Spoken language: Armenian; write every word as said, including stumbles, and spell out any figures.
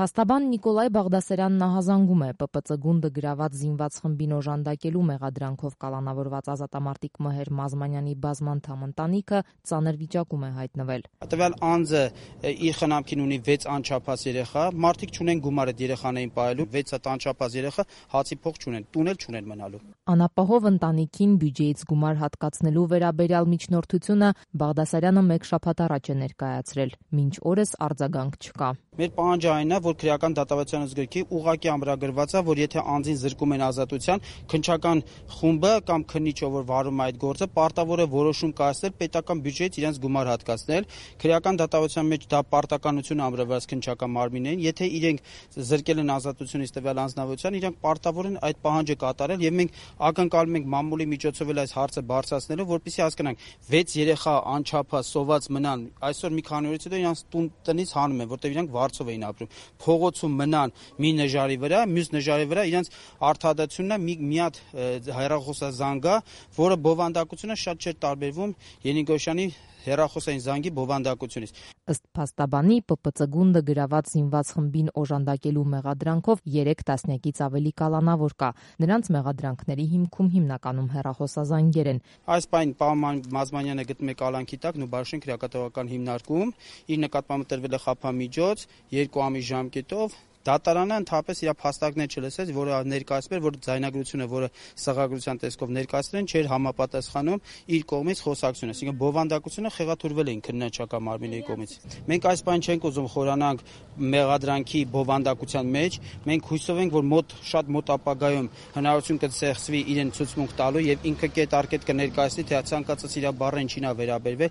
Փաստաբան Նիկոլայ Բաղդասարյանն ահազանգում է Պ Պ Ծ գունդը գրաված զինված խմբին օժանդակելու մեղադրանքով կալանավորված ազատամարտիկ Մհեր Մազմանյանի բազմանդամ ընտանիքը ծանր վիճակում է հայտնվել։ Տվյալ անձը իր խնամքին ունի վեց անչափահաս երեխա, մարդիկ չունեն գումար այդ երեխաներին պահելու, վեց անչափահաս երեխա հացի փող չունեն, տուն էլ չունեն մնալու։ Անապահով ընտանիքին բյուջեից գումար հատկացնելու վերաբերյալ միջնորդությունը Բաղդասարյանը մեկ շաբաթ առաջ է ներկայացրել, մինչ օրս արձագանք չկա։ Մեր պահանջը այն է, որ քրեական դատավարության ուսուցգրքի ուղղակի ամրագրված է, որ եթե անձին զրկում են ազատության, քննչական խումբը կամ քննիչը, որ վարում է այդ գործը, պարտավոր է որոշում կայացնել պետական բյուջեից իրենց գումար հատկացնել։ Քրեական դատավարության մեջ դա պարտականություն ամրագրված քննչական մարմիններին, եթե իրենք զրկել են ազատությունից տվյալ անձնավորության, իրենք պարտավոր են այդ պահանջը կատարել եւ մենք ակնկալում ենք մամուլի միջոցով այս հարցը բարձրացնելու, որպեսզի հասկանանք վեց երեխա անչափահաս սոված մնան, այսօր մի քանի օրից հետո իրանց տուն տնից հանում են, որտեղ իրանք վարձով էին ապրում, փողոցում մնան մի նժարի վրա, մյուս նժարի վրա իրենց արդարացությունն է մի մի հատ հեռախոսազանգ, որը բովանդակությունը շատ չէր տարբերվում Ենիկոշյանի հեռախոսային զանգի բովանդակությունից։ Ըստ փաստաբանի Պ Պ Ծ գունդը գրաված զինված խմբին օժանդակելու մեղադրանքով երեք տասնյակից ավելի կալանավոր կա։ Նրանց մեղադրանքների հիմքում հիմնականում հեռախոսազանգեր են։ Այս պայն պարոն Մազմանյանը գտնում է կալանքի տակ Նուբարշեն քրեակատվական հիմնարկում, իր նկատմամբ տրվել է խափամիջոց երկու ամիս ժամկետով։ Դատարանը ընդհանրապես իր փաստարկներ չլսեց, որը ներկայացվել էր, որ ձայնագրությունը, որը սղագրության տեսքով ներկայացրել են, չէր համապատասխանում իր կողմից խոսակցությունը, այսինքն բովանդակությունը խեղաթյուրվել էին քննչական մարմինների կողմից։ Մենք այս բան չենք ուզում խորանանք մեղադրանքի բովանդակության մեջ, մենք հույսով ենք, որ մոտ շատ մոտ ապագայում հնարավորություն կցեղծվի իրեն ցուցմունք տալու եւ ինքը կետ առ կետ կներկայացնի, թե ցանկացած իր բառը ինչին է վերաբերվել։